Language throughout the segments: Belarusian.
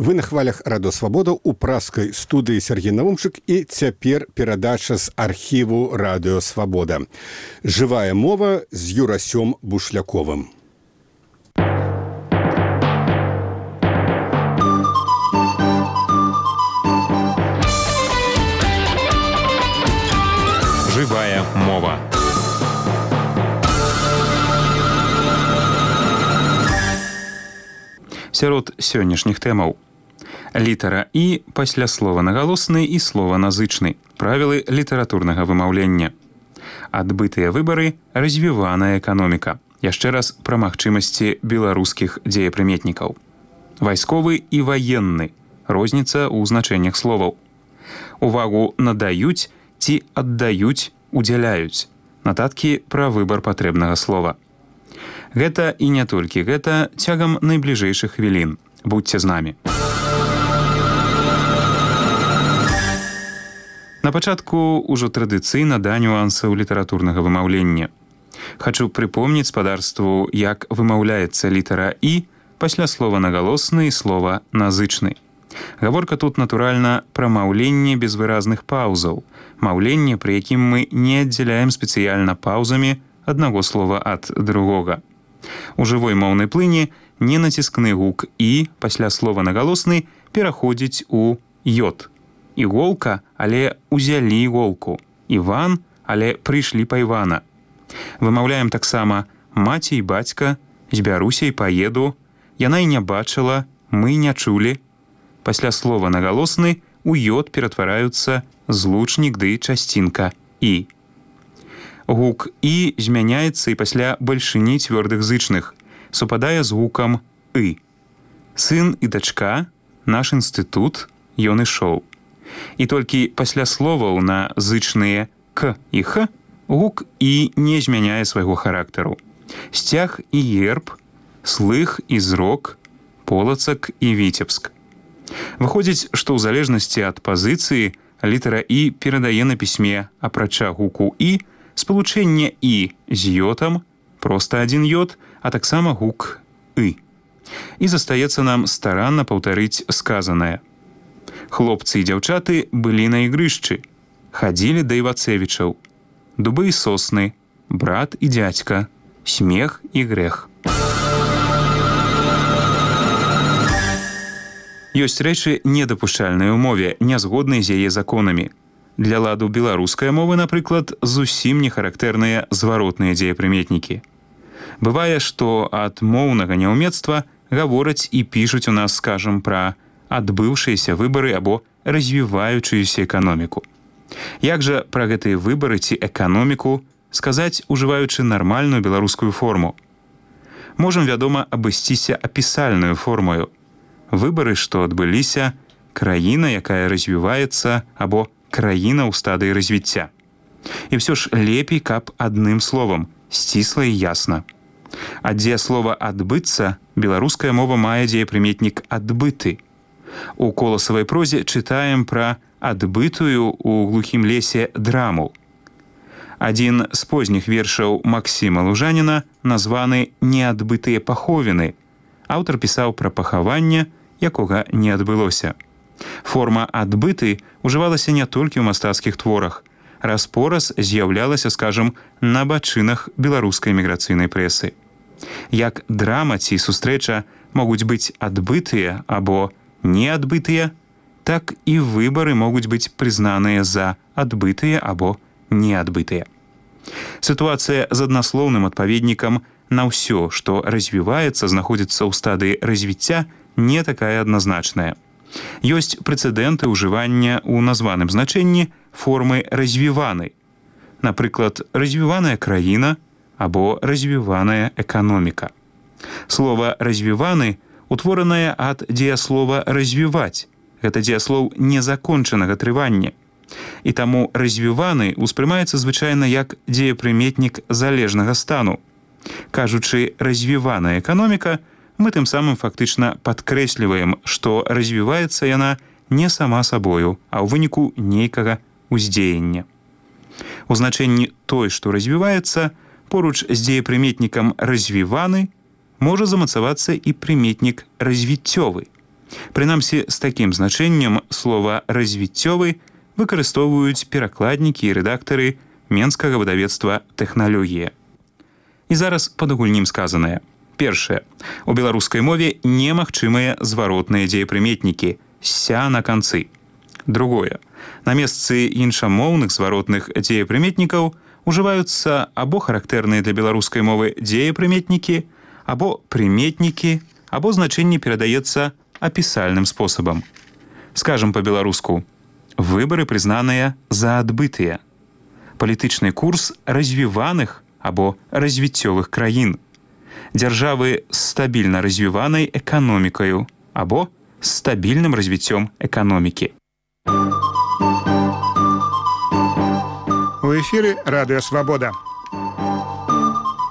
Вы на хвалях Радио Свабода у праскай студыі Сергей Наумчык і цяпер перадача з архіву Радио Свабода. Жывая мова з Юрасём Бушляковым. Жывая мова. Сярод сённяшніх тэмаў. Літара «і» пасля слова нагалосны і слова назычны. Правілы літаратурнага вымаўлення. Адбытыя выбары, развіваная эканоміка. Яшчэ раз пра магчымасці беларускіх дзеепрыметнікаў. Вайсковы і ваенны. Розніца ў значэннях словаў. Увагу надаюць ці аддаюць, удзяляюць. Нататкі пра выбар патрэбнага слова. Гэта і не толькі гэта цягам найбліжэйшых хвілін. Будьце з намі. На пачатку ўжо традыцыйна да нюансаў літаратурнага вымаўлення. Хачу прыпомніць спадарству, як вымаўляецца літара «і» пасля слова нагалосны і слова назычны. Гаворка тут, натуральна, пра маўленне без выразных паўзаў. Маўленне, пры якім мы не аддзяляем спецыяльна паўзамі аднаго слова ад другога. У жывой моўнай плыні ненаціскны гук «і» пасля слова нагалосны пераходзіць у «йод». Іголка, але узялі іголку. Іван, але прыйшлі па Івана. Вымаўляем таксама «маці і бацька», «збяруся і паеду», «яна і не бачыла», «мы не чулі». Пасля слова нагалосны у «йод» ператвараюцца злучнік ды часцінка «і». Гук «і» змяняецца і пасля бальшыні цвёрдых зычных, супадае з гукам «ы». Сын і дачка, наш інстытут, ён ішоў. І толькі пасля словаў на зычныя «к» і «х» гук «і» не змяняе свайго характару. Сцяг і герб, слых і зрок, полацак і віцебск. Выходзіць, што ў залежнасці ад пазіцыі літара «і» перадае на пісьме, апрача гуку «і», спалучэнне «і» з «йотам», проста адзін «йод», а таксама гук «ы». І застаецца нам старанна паўтарыць сказанае. Хлопцы і дзяўчаты былі на ігрышчы, хадзілі да Івацевічаў, дубы і сосны, брат і дзядзька, смех і грэх. Ёсць рэчы недапушчальныя ў мове, нязгодныя з яе законамі. Для ладу беларускай мовы, напрыклад, зусім не характэрныя зваротныя дзеепрыметнікі. Бывае, што ад моўнага няўмецтва гавораць і пішуць у нас, скажам, пра адбыўшыеся выбары або развіваючуюся эканоміку. Як жа пра гэтыя выбары ці эканоміку сказаць, ужываючы нармальную беларускую форму? Можам, вядома, абысціся апісальную формою. Выбары, што адбыліся, краіна, якая развіваецца, або краіна ў стадыі развіцця. І ўсё ж лепей, каб адным словам, сцісла і ясна. А дзе слова «адбыцца» беларуская мова мае дзеепрыметнік «адбыты». У коласавай прозе чытаем пра адбытую ў глухім лесе драму. Адзін з позніх вершаў Максіма Лужаніна названы «Неадбытыя паховіны». Аўтар пісаў пра пахаванне, якога не адбылося. Форма «адбыты» ужывалася не толькі ў мастацкіх творах. Раз-пораз з'яўлялася, скажам, на бачынах беларускай міграцыйнай прэсы. Як драма ці сустрэча могуць быць адбытыя або неадбытыя, так і выбары могуць быць прызнаныя за адбытыя або неадбытыя. Сітуацыя з аднаслоўным адпаведнікам на ўсё, што развіваецца, знаходзіцца ў стадыі развіцця, не такая адназначная. Ёсць прэцэдэнты ўжывання ў названым значэнні формы развіваны. Напрыклад, развіваная краіна або развіваная эканоміка. Слова «развіваны» утворанае ад дзеяслова «развіваць». Гэта дзеяслоў незакончанага трывання. І таму «развіваны» успрымаецца звычайна як дзеепрыметнік залежнага стану. Кажучы «развіваная эканоміка», мы тым самым фактычна падкрэсліваем, што развіваецца яна не сама сабою, а ў выніку нейкага ўздзеяння. У значэнні «той, што развіваецца» поруч з дзеепрыметнікам «развіваны» можа замацавацца і прыметнік «развіццёвы». Прынамсі, з такім значэннем слова «развіццёвы» выкарыстоўваюць перакладнікі і рэдактары менскага выдавецтва «Тэхналогія». І зараз падагульнім сказанае. Першае. У беларускай мове немагчымыя зваротныя дзеепрыметнікі «ся» на канцы. Другое. На месцы іншамоўных зваротных дзеепрыметнікаў ужываюцца або характэрныя для беларускай мовы дзеепрыметнікі, або прыметнікі, або значэнне перадаецца апісальным спосабам. Скажам па-беларуску. Выбары прызнаныя за адбытыя. Палітычны курс развіваных або развіццёвых краін. Дзяржавы з стабільна развіванай эканомікаю або з стабільным развіццём эканомікі. У эфіры Радыё Свабода.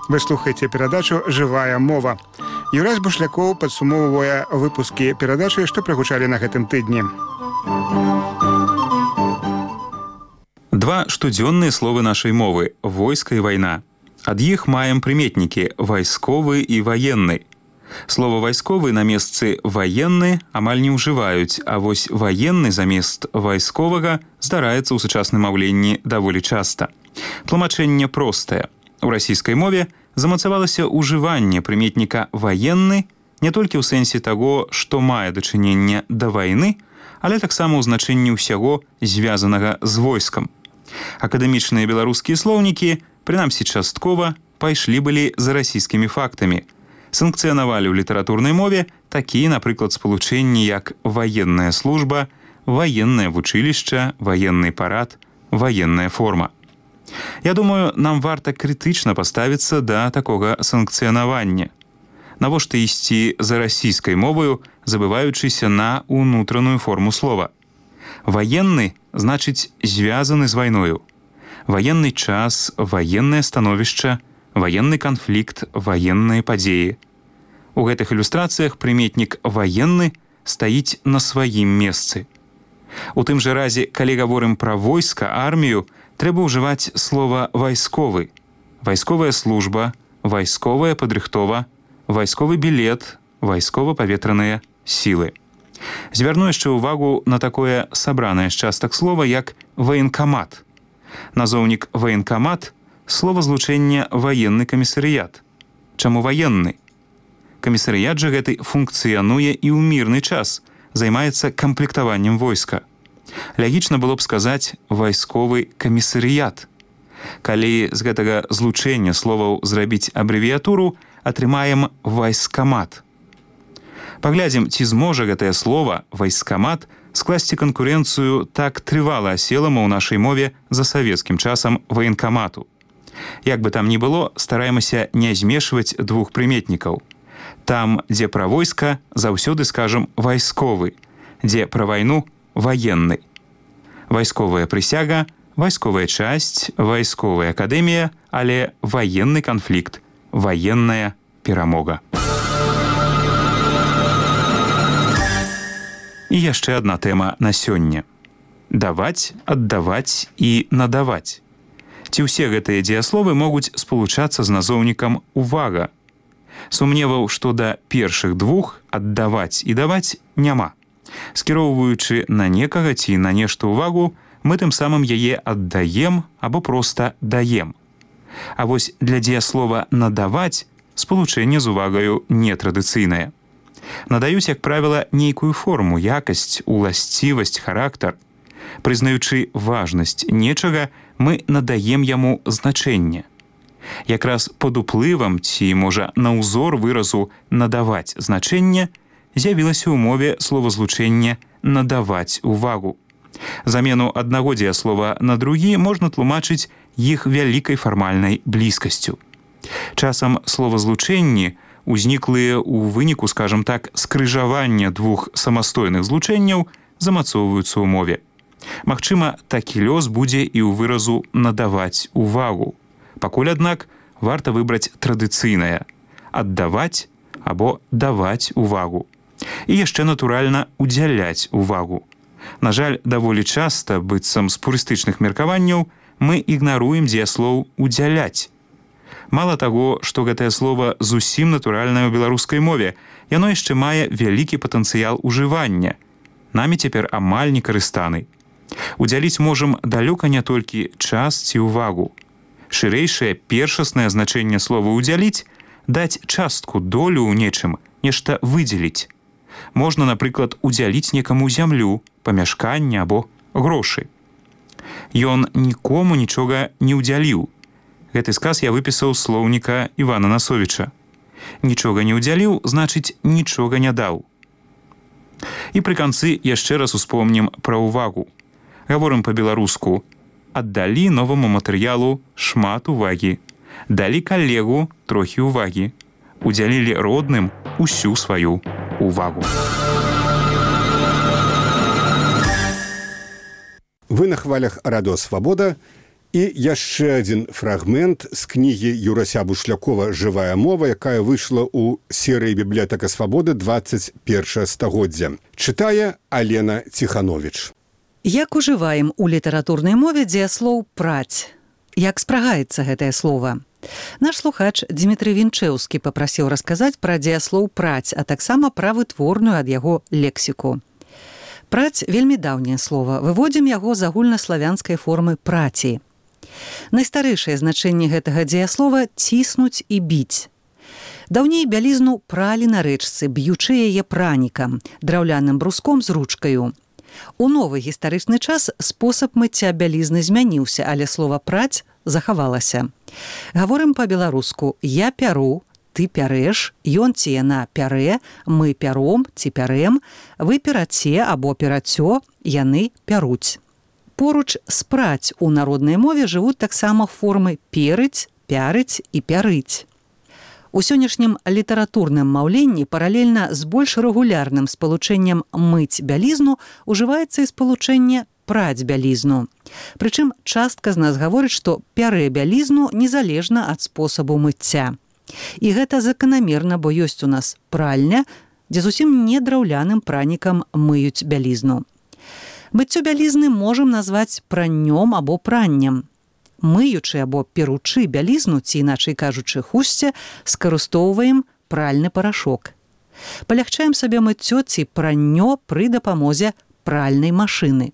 Вы слухаеце перадачу «Жывая мова». Юрась Бушлякоў падсумоўвае выпускі перадачы, што прагучалі на гэтым тыдні. Два штодзённыя словы нашай мовы – войска і вайна. Ад іх маем прыметнікі «вайсковы» і «ваенны». Слова «вайсковы» на месцы «ваенны» амаль не ўжываюць, а вось «ваенны» замест «вайсковага» здараецца ў сучасным маўленні даволі часта. Тлумачэнне простае. У расійскай мове замацавалася ўжыванне прыметніка «ваенны» не толькі ў сэнсе таго, што мае дачыненне да вайны, але таксама ў значэнні ўсяго, звязанага з войскам. Акадэмічныя беларускія слоўнікі, прынамсі часткова, пайшлі былі за расійскімі фактамі. Санкцыянавалі ў літаратурнай мове такія, напрыклад, спалучэнні, як ваенная служба, ваеннае вучылішча, ваенны парад, ваенная форма. Я думаю, нам варта крытычна паставіцца да такога санкцыянавання. Навошта ісці за расійскай моваю, забываючыся на ўнутраную форму слова? Ваенны значыць звязаны з вайною. Ваенны час, ваеннае становішча, ваенны канфлікт, ваенныя падзеі. У гэтых ілюстрацыях прыметнік «ваенны» стаіць на сваім месцы. У тым жа разе, калі гаворым пра войска, армію, трэба ўжываць слова «вайсковы». Вайсковая служба, вайсковая падрыхтова, вайсковы білет, вайскова-паветраныя сілы. Звярну яшчэ ўвагу на такое сабранае з частак слова, як «ваенкамат». Назоўнік «ваенкамат» – словазлучэнне «ваенны камісарыят». Чаму ваенны? Камісарыят жа гэты функцыянуе і ў мірны час, займаецца камплектаваннем войска. Лягічна было б сказаць «вайсковы камісарыят». Калі з гэтага злучэння словаў зрабіць абрэвіятуру, атрымаем «вайскамат». Паглядзім, ці зможа гэтае слова «вайскамат» скласці канкурэнцыю так трывала аселаму ў нашай мове за савецкім часам ваенкамату. Як бы там ні было, стараемся не змешваць двух прыметнікаў. Там, дзе пра войска, заўсёды скажам «вайсковы», дзе пра вайну – «ваенны». Вайсковая прысяга, вайсковая часць, вайсковая акадэмія, але ваенны канфлікт, ваенная перамога. І яшчэ адна тэма на сёння. Даваць, аддаваць і надаваць. Ці ўсе гэтыя дзеясловы могуць спалучацца з назоўнікам «увага». Сумневаў, што да першых двух «аддаваць» і «даваць» няма. Скіроўваючы на некага ці на нешта ўвагу, мы тым самым яе аддаем або проста даем. А вось для дзеяслова «надаваць» спалучэнне з увагаю нетрадыцыйнае. Надаюць, як правіла, нейкую форму, якасць, уласцівасць, характар. Прызнаючы важнасць нечага, мы надаем яму значэнне. Якраз пад уплывам ці, можа, на ўзор выразу «надаваць значэнне» з'явілася ў мове словазлучэнне «надаваць увагу». Замену аднаго дзеяслова на другі можна тлумачыць іх вялікай фармальнай блізкасцю. Часам словазлучэнні узніклыя ў выніку, скажам так, скрыжавання двух самастойных злучэнняў замацоўваюцца ў мове. Магчыма, такі лёс будзе і ў выразу «надаваць увагу». Пакуль, аднак, варта выбраць традыцыйнае – аддаваць або даваць увагу. І яшчэ, натуральна, удзяляць увагу. На жаль, даволі часта, быццам з пурыстычных меркаванняў, мы ігнаруем дзеяслоў «удзяляць». Мала таго, што гэтае слова зусім натуральнае ў беларускай мове, яно яшчэ мае вялікі патэнцыял ужывання. Намі цяпер амаль не карыстаны. Удзяліць можам далёка не толькі час ці ўвагу. Шырэйшае першаснае значэнне слова «удзяліць» – даць частку, долю ў нечым, нешта выдзеліць. Можна, напрыклад, удзяліць некаму зямлю, памяшканне або грошы. Ён нікому нічога не ўдзяліў. Гэты сказ я выпісаў з слоўніка Івана Насовіча. Нічога не ўдзяліў, значыць, нічога не даў. І пры канцы яшчэ раз успомнім пра ўвагу. Гаворым па-беларуску: аддалі новаму матэрыялу шмат увагі, далі калегу трохі ўвагі, удзялілі родным усю сваю увагу. Вы на хвалях Радыё Свабода, і яшчэ адзін фрагмент з кнігі Юрася Бушлякова «Жывая мова», якая выйшла ў серыі «Бібліятэка Свабоды» 21 стагоддзя. Чытае Алена Ціхановіч. Як ужываем у літаратурнай мове дзеяслоў «праць»? Як спрагаецца гэтае слова? Наш слухач Дмітрый Вінчэўскі папрасіў расказаць пра дзеяслоў «праць», а таксама пра вытворную ад яго лексіку. «Праць» – вельмі даўняе слова. Выводзім яго з агульнаславянскай формы «праці». Найстарэйшае значэнне гэтага дзеяслова – ціснуць і біць. Даўней бялізну пралі на рэчцы, б'ючы яе пранікам, драўляным бруском з ручкаю. У новы гістарычны час спосаб мыцця бялізны змяніўся, але слова «праць» захавалася. Гаворым па-беларуску: я пяру, ты пярэш, ён ці яна пярэ, мы пяром ці пярэм, вы пераце або перацё, яны пяруць. Поруч з «праць» у народнай мове жывуць таксама формы перыць, пярыць і пярыць. У сённяшнім літаратурным маўленні паралельна з больш рэгулярным спалучэннем «мыць бялізну» ужываецца і спалучэнне «праць бялізну». Прычым частка з нас гаворыць, што пярэ бялізну незалежна ад спосабу мыцця. І гэта заканамерна, бо ёсць у нас пральня, дзе зусім не драўляным пранікам мыюць бялізну. Мыццё бялізны можам назваць праннём або праннем. Мыючы або перучы бялізну, ці іначай кажучы хусце, скарыстоўваем пральны парашок. Палягчаем сабе мыццё ці праннё пры дапамозе пральнай машыны.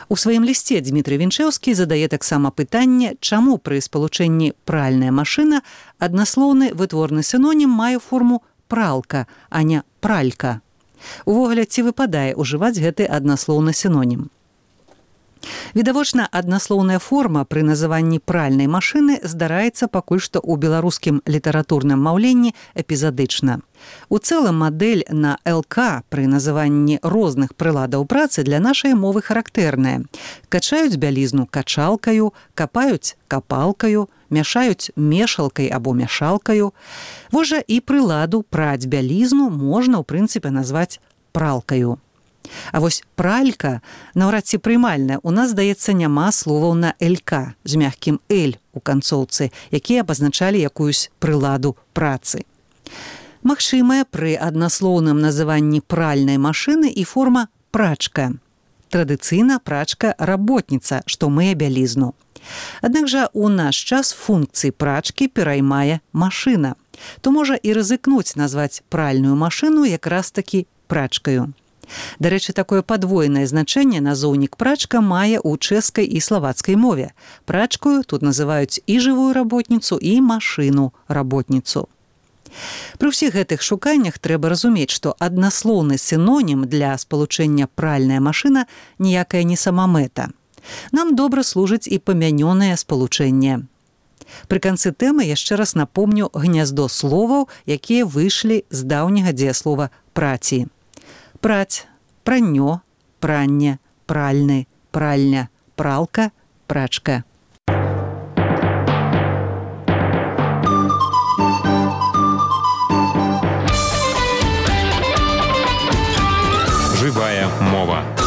У сваім лісце Дмітрый Вінчэўскі задае таксама пытанне, чаму пры спалучэнні «пральная машына» аднаслоўны вытворны сінонім мае форму «пралка», а не «пралька». Увогуле, ці выпадае ўжываць гэты аднаслоўны сінонім? Відавочна, аднаслоўная форма пры называнні пральнай машыны здараецца пакуль што ў беларускім літаратурным маўленні эпізадычна. У цэлым мадэль на «ЛК» пры называнні розных прыладаў працы для нашай мовы характэрная. Качаюць бялізну качалкаю, капаюць капалкаю, мяшаюць мешалкай або мяшалкаю. Вось жа і прыладу праць бялізну можна, ў прынцыпе, назваць пралкаю. А вось пралька наўрад ці прымальная. У нас, здаецца, няма словаў на «ЛК» з мягкім «Л» у канцоўцы, якія абазначалі якуюсь прыладу працы. Магчымая пры аднаслоўным называнні пральнай машыны і форма «прачка». Традыцыйна прачка-работніца, што мые бялізну. Аднак жа у наш час функцыі прачкі пераймае машына. То можа і рызыкнуць назваць пральную машыну якраз-такі прачкаю. Дарэчы, такое падвойнае значэнне назоўнік прачка мае ў чэшскай і славацкай мове. Прачкаю тут называюць і жывую работніцу, і машыну-работніцу. Пры ўсіх гэтых шуканнях трэба разумець, што аднаслоўны сінонім для спалучэння «пральная машына» ніякая не самамэта. Нам добра служыць і памянёнае спалучэнне. Пры канцы тэмы яшчэ раз напомню гняздо словаў, якія выйшлі з даўняга дзеяслова «праці». Праць, праннё, пранне, пральны, пральня, пралка, прачка. Жывая мова.